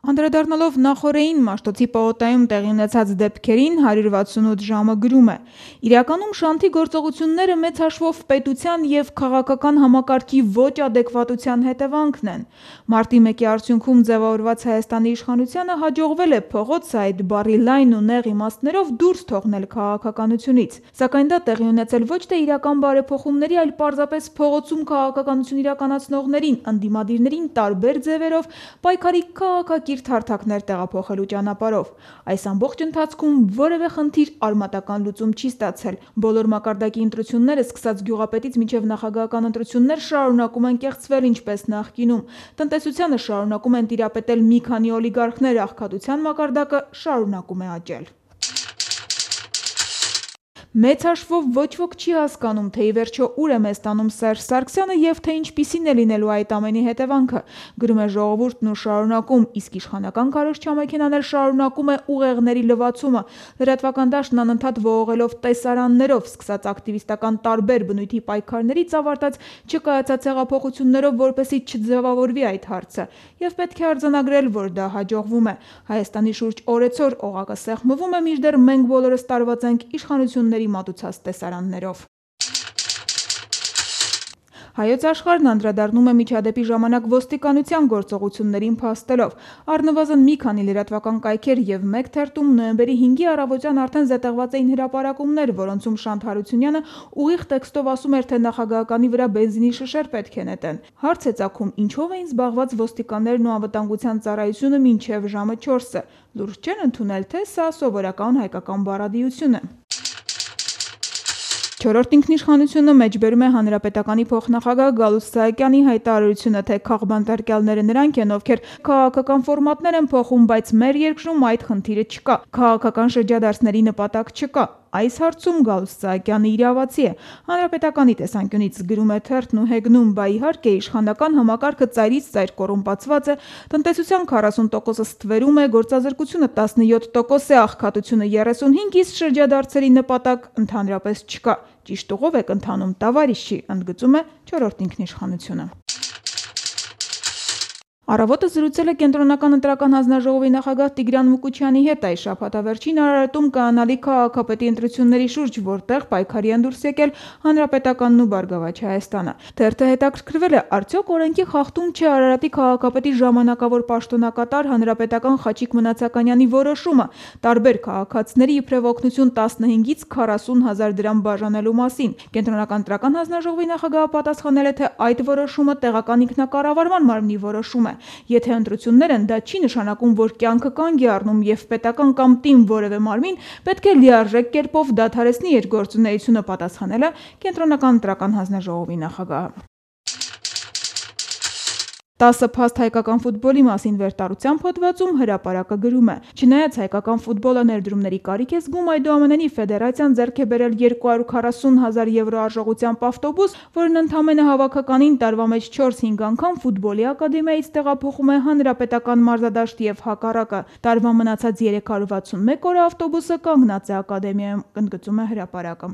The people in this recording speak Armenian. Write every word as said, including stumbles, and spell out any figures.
Անդրադառնալով նախօրեին Մաշտոցի պողոտայում տեղի ունեցած դեպքերին, հարյուր վաթսունութ ժամը գրում է. «Իրականում Շանթի գործողությունները մեծ հաշվով պետության և քաղաքական համակարգի ոչ ադեկվատության հետևանքն են։ Մարտի մեկի արդյունքում ձևավորված Հայաստանի իշխանությանը հաջողվել է փողոցը այդ բառի լայն ու նեղ իմաստներով դուրս թողնել քաղաքականությունից։ Սակայն դա տեղի ունեցել ոչ թե իրական բարեփոխումների, այլ պարզապես փողոցում քաղաքականություն իրականացնողներին, ընդդիմադիրներին տարբեր ձևերով պայքարի քաղաքակիրթ հարթակներ տեղափոխելու ճանապարհով։ Այս ամբողջ ընթացքում որևէ խնդիր արմատական լուծում չի ստացել։ Բոլոր մակարդակի ընտրությունները, սկսած գյուղապետից մինչև նախագահական ընտրություններ, շարունակում են կեղծվել ինչպես նախկինում։ Տնտեսությանը շարունակում են տիրապետել մի քանի օլիգարխներ, աղքատության մակարդակը շարունակում է աճել։ Մեծ հաշվով ոչ ոք չի հասկանում, թե ի վերջո ուր է մեզ տանում Սերժ Սարգսյանը և թե ինչպիսին է լինելու այդ ամենի հետևանքը, գրում է Ժողովուրդն ու շարունակում, իսկ իշխանական քարոզչամեքենան էլ շարունակում է ուղեղների լվացումը, լրատվական դաշտն անընդհատ ողողելով տեսարաններով, սկսած ակտիվիստական տարբեր բնույթի պայքարներից, ավարտած չկայացած հեղափոխություններով, որպեսզի չձևավորվի այդ հարցը, և պետք է արձանագրել, որ դա հաջողվում է։ Հայաստանի շուրջ օրեցօր օղակը սեղմվում է, մինչդեռ մենք բոլորս տարված ենք իշխանությունների մատուցած տեսարաններով։ Հայոց Աշխարհն անդրադառնում է միջադեպի ժամանակ ոստիկանության գործողություններին փաստելով։ Առնվազն մի քանի լրատվական կայքեր և մեկ թերթում նոյեմբերի հինգի առավոտյան արդեն զետեղված էին հրապարակումներ, որոնցում Շանթ Հարությունյանը ուղիղ տեքստով ասում էր, թե նախագահականի վրա բենզինի շշեր պետք է նետեն։ Հարց է ծագում՝ ինչով էին զբաղված ոստիկաններն ու անվտանգության ծառայությունը մինչև ժամը չորսը։ Լուրջ չեն ընդունել, թե սա սովորական հայկական բառադիություն է։ Չորրորդ ինքնիշխանությունը մեջբերում է Հանրապետականի փոխնախագահ Գալուստ Սահակյանի հայտարարությունը, թե քաղբանտարկյալները նրանք են, ովքեր քաղաքական ֆորմատներ են փոխում, բայց մեր երկրում այդ խնդիրը չկա, քաղաքական շրջադարձների նպատակ չկա։ Այս հարցում Գալուստ Սահակյանը իրավացի է։ Հանրապետականի տեսանկյունից, գրում է թերթն ու հեգնում, բա իհարկե իշխանական համակարգը ծայրից ծայր կոռումպացված է, տնտեսության քառասուն տոկոսը ստվերում է, գործազրկությունը տասնյոթ տոկոս է, աղքատությունը եռեսունհինգ, իսկ շրջադարձերի նպատակ ընդհանրապես չկա։ Ճիշտ ուղով եք ընթանում, տավարիշչի, ընդգծում է չորրորդ ինքնիշխանությունը։ Առավոտը զրուցել է Կենտրոնական ընտրական հանձնաժողովի նախագահ Տիգրան Մուկուչյանի հետ այս շաբաթավերջին Արարատում կայանալի քաղաքապետի ընտրությունների շուրջ, որտեղ պայքարի են դուրս եկել Հանրապետականն ու Բարգավաճ Հայաստանը։ Թերթը հետաքրքրվել է, արդյոք օրենքի խախտում չէ Արարատի քաղաքապետի ժամանակավոր պաշտոնակատար հանրապետական Խաչիկ Մնացականյանի որոշումը տարբեր քաղաքացիների իբրև օգնություն տասնհինգից քառասուն հազար դրամ բաժանելու մասին։ Կենտրոնական ընտրական հանձնաժողովի նախագահը պատասխանել է, թե այդ որոշումը տեղական ինքնակառավարման մարմնի որոշում է։ Եթե ընտրություններ են, դա չի նշանակում, որ կյանքը կանգ է առնում և պետական կամ ՏԻՄ որևէ մարմին պետք է լիարժեք կերպով դադարեցնի իր գործունեությունը, պատասխանել է Կենտրոնական ընտրական հանձնաժողովի նախագահը։ տասը փաստ հայկական ֆուտբոլի մասին վերտարությամբ հոդվածում հրապարակը գրում է. Չնայած հայկական ֆուտբոլը ներդրումների կարիք է զգում, այդուամենայնիվ ֆեդերացիան ձեռք է բերել երկու հարյուր քառասուն հազար եվրո արժողությամբ ավտոբուս, որն ընդամենը հավաքականին տարվա մեջ չորս-հինգ անգամ ֆուտբոլի ակադեմիայից տեղափոխում է հանրապետական մարզադաշտ և հակառակը։ Տարվա մնացած երեք հարյուր վաթսունմեկ օրը ավտոբուսը կանգնած է ակադեմիայում, ընդգծում է հրապարակը։